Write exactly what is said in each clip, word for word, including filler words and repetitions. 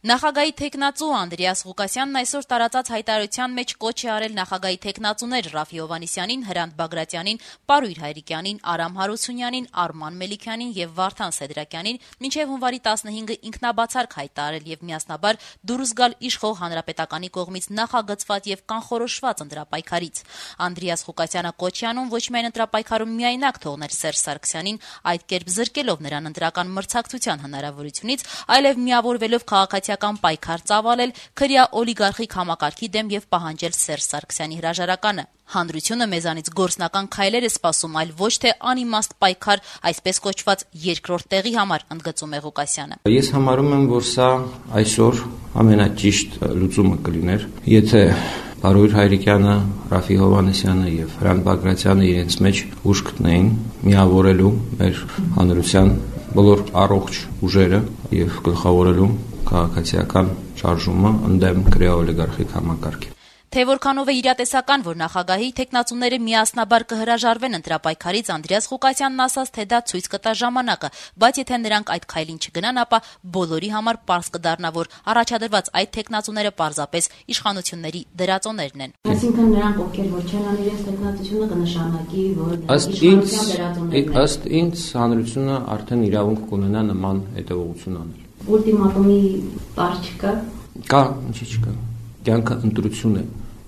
Նախագահի թեկնածու Անդրեաս Ղուկասյանն այսօր տարածած հայտարարության մեջ կոչ է արել նախագահի թեկնածուներ Ռաֆի Հովհաննիսյանին, Հրանտ Բագրատյանին, Պարույր Հայրիկյանին, Արամ Հարությունյանին, Արման Մելիքյանին եւ Վարդան Սեդրակյանին մինչեւ հունվարի տասնհինգը ինքնաբացարկ հայտարարել եւ միասնաբար դուրս գալ իշխող հանրապետականի կողմից նախագծված եւ կանխորոշված ընտրապայքարից։ Անդրեաս Ղուկասյանը կոչ է անում ոչ միայն ընտրապայքարում միայնակ թողնել Սերժ Սարգսյանին, այդ կերպ զրկելով նրան ընտրական մրցակցության հնարավորությունից, այլև միավորվելով քաղաքացիական պայքար ծավալել քրյա օլիգարխիկ համակարգի դեմ եւ պահանջել Սերժ Սարգսյանի հրաժարականը։ Հանրությունը մեզանից գործնական քայլեր է սպասում, այլ ոչ թե անիմաստ պայքար, այսպես կոչված երկրորդ տեղի համար, ընդգծում է Ղուկասյանը։ Ես համարում եմ, որ սա այսօր ամենաճիշտ լուծումը կլիներ, եթե Պարույր Հայրիկյանը, Ռաֆի Հովհաննիսյանը եւ Հրանտ Բագրատյանը իրենց մեջ ուժ գտնեին միավորելու մեր հանրության բոլոր առողջ ուժերը եւ գլխավորելու քաղաքացիական շարժումը ընդդեմ քրեա օլիգարխիկ համակարգի։ Թե որքանով է իրատեսական, որ նախագահի թեկնածուները միասնաբար կհրաժարվեն ընտրապայքարից, Անդրեաս Ղուկասյանն ասաց, թե դա ցույց կտա ժամանակը, բայց եթե նրանք այդ քայլին չգնան, ապա բոլորի համար պարզ կդառնա, որ առաջադրված այդ թեկնածուները պարզապես իշխանությունների դրածոներն են։ Այսինքն նրանք, ովքեր որ չեն անի իրենց թեկնածությունը, կնշանակի, որ ըստ ինձ, ըստ ինձ հանրությունը արդեն իրավունք կունենա նման հետևողություն անել։ Ուլտիմատումի բառ չկա։ Կա, ինչի՞ չկա։ Կյանքը ընտրություն է,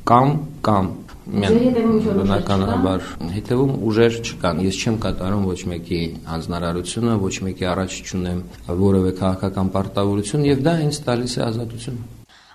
կամ կամ բնականաբար հետևում ուժեր չկան։ Ես չեմ կատարում ոչ մեկի հանձնարարությունը, ոչ մեկի առաջ չունեմ որևէ քաղաքական պարտավորություն եւ դա ինձ տալիս է ազատություն։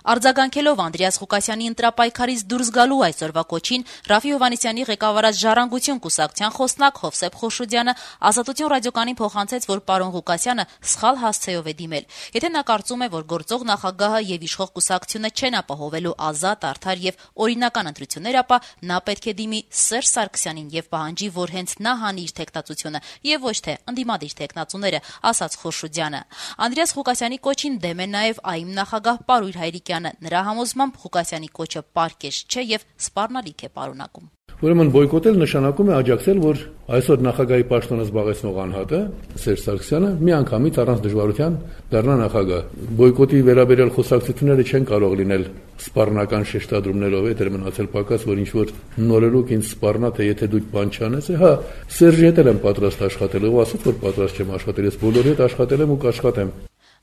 Արձագանքելով Անդրեաս Ղուկասյանի ընտրապայքարից դուրս գալու այսօրվա կոչին, Ռաֆի Հովհաննիսյանի ղեկավարած Ժառանգություն կուսակցության խոսնակ Հովսեփ Խոշոդյանը Ազատություն ռադիոկյանին փոխանցեց, որ պարոն Ղուկասյանը սխալ հասցեով է դիմել։ Եթե նա կարծում է, որ գործող նախագահը եւ իշխող կուսակցությունը չեն ապահովելու ազատ, արդար եւ օրինական ընտրություններ, ապա նա պետք է դիմի Սերժ Սարգսյանին եւ պահանջի, որ հենց նա հանի իր թեկնածությունը եւ ոչ թե ընդդիմադիր թեկնածուները, ասաց Խոշոդյանը։ Անդրեաս Ղուկասյանի կոչին դեմ է նաեւ ԱԻՄ նախագահ Պարույր Հայրիկյանը։ Նրա համոզմամբ Ղուկասյանի կոչը պարկեշ չէ եւ սպառնալիք է պարունակում։ Ուրեմն բոյկոտել նշանակում է աջակցել, որ այսօր նախագահի պաշտոնը զբաղեցնող անհատը Սերժ Սարգսյանը միանգամից առանց դժվարության դառնա նախագահ։ Բոյկոտի վերաբերյալ խոսակցությունները չեն կարող լինել սպառնական շեշտադրումներով, եթե մնացել պակաս, որ ինչ որ նորելուկ ինձ սպառնա, թե եթե դու բան չանես, հա, Սերժի հետ եմ պատրաստ աշխատել, ով ասաց, որ պատրաստ չեմ աշխատել, ես բոլորի հետ աշխատել եմ ու կաշխատեմ։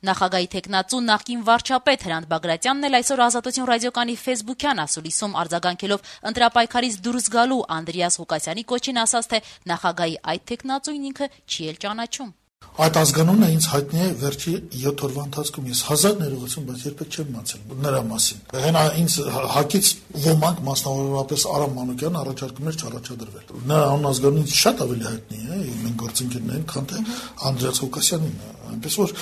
Նախագահի թեկնածու նախկին վարչապետ Հրանտ Բագրատյանն էլ այսօր Ազատություն ռադիոկանի ֆեյսբուքյան ասուլիսում արձագանքելով ընտրապայքարից դուրս գալու Անդրեաս Ղուկասյանի կոչին ասաց, թե նախագահի այդ թեկնածուին ինքը չի էլ ճանաչում։ Այդ ազգանունը ինձ հայտնի է վերջի յոթ օրվա ընթացքում, ես հազար ներողություն, բայց երբեք չեմ մացել նրա մասին։ Հենա ինձ հակից ոմանք, մասնավորապես Արամ Մանուկյանը առաջարկում էր չառաջադրվել։ Նրա անազգանունը ինձ շատ ավելի հայտնի է, մենք գործընկերներին, քան թե Անդրեաս Ղուկասյանին։ Այնպես որ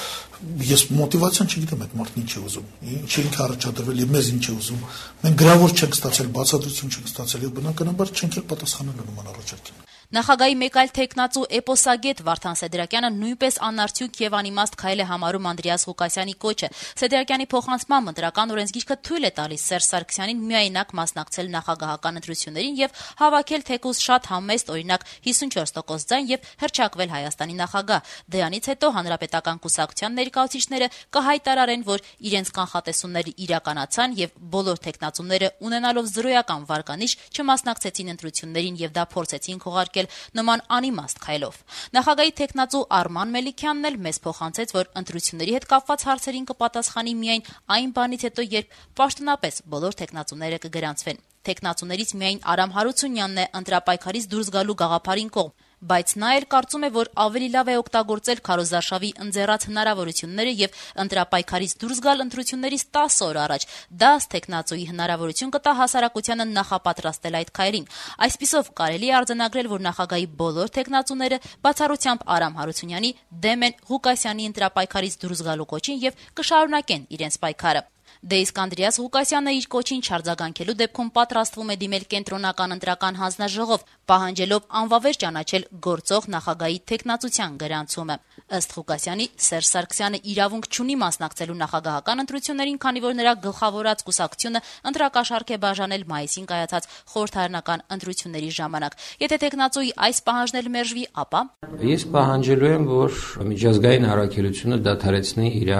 ես մոտիվացիան չգիտեմ այդ մարդն ինչ է ուզում, ինչ ինքը առաջադրվել եւ մեզ ինչ է ուզում։ Մենք գրավոր չենք ստացել, բացատրություն չենք ստացել եւ բնականաբար չենք էլ պատասխանել նման առաջարկին։ Նախագահի մեկ այլ թեկնածու էպոսագետ Վարդան Սեդրակյանը նույնպես անարդյունք եւ անիմաստ քայլ է համարում Անդրեաս Ղուկասյանի կոչը։ Սեդրակյանի փոխանցմամբ ընտրական օրենսգիրքը թույլ է տալիս Սերժ Սարգսյանին միայնակ մասնակցել նախագահական ընտրություններին եւ հավաքել թեկուզ շատ համեստ, օրինակ հիսունչորս տոկոս ձայն եւ հռչակվել Հայաստանի նախագահ։ Դրանից հետո հանրապետական կուսակցության ներկայացուցիչները կհայտարարեն, որ իրենց կանխատեսումները իրականացան եւ բոլոր թեկնածուները ունենալով զրոյական վարկանիշ չմասնակցեցին ընտրություններին եւ դա փորձեցին քողարկել նման անիմաստ քայլով։ Նախագահի թեկնածու Արման Մելիքյանն էլ մեզ փոխանցեց, որ ընտրությունների հետ կապված հարցերին կպատասխանի միայն այն բանից հետո, երբ պաշտոնապես բոլոր թեկնածուները կգրանցվեն։ Թեկնածուներից միայն Արամ Հարությունյանն է ընտրապայքարից դուրս գալու գաղափարին կողմ, բայց նա էլ կարծում է, որ ավելի լավ է օգտագործել քարոզարշավի ընձեռած հնարավորությունները եւ ընտրապայքարից դուրս գալ ընտրություններից տասը օր առաջ։ Դա ըստ թեկնածուի հնարավորություն կտա հասարակությանը նախապատրաստել այդ քայլին։ Այսպիսով կարելի է արձանագրել, որ նախագահի բոլոր թեկնածուները բացառությամբ Արամ Հարությունյանի դեմ են Ղուկասյանի ընտրապայքարից դուրս գալու կոչին եւ կշարունակեն իրենց պայքարը։ Դե իսկ Անդրեաս Ղուկասյանը իր կոչին չարձագանքելու դեպքում պատրաստվում է դիմել կենտրոնական ընտրական հանձնաժողով, պահանջելով անվավեր ճանաչել գործող նախագահի թեկնածության գրանցումը։ Ըստ Ղուկասյանի, Սերժ Սարգսյանը իրավունք չունի մասնակցելու նախագահական ընտրություններին, քանի որ նրա գլխավորած կուսակցությունը ընտրակաշառք է բաժանել մայիսին կայացած խորհրդարանական ընտրությունների ժամանակ։ Եթե թեկնածուի այս պահանջն էլ մերժվի, ապա Ես պահանջելու եմ, որ միջազգային առաքելությունը դադարեցնի իր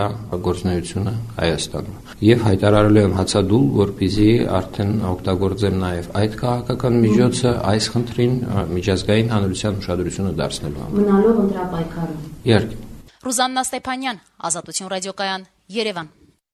գործունեությունը Հայաստանում եւ հայտարարելու եմ հացադուլ, որպեսզի արդեն օգտագործեմ նաեւ այդ քաղաքական միջոցը այս խնդրին միջազգային հանրության ուշադրությունը դարձնելու համար։ Մնալով ընտրապայքարում։ Իհարկե։ Ռուզաննա Ստեփանյան, Ազատություն ռադիոկայան, Երևան։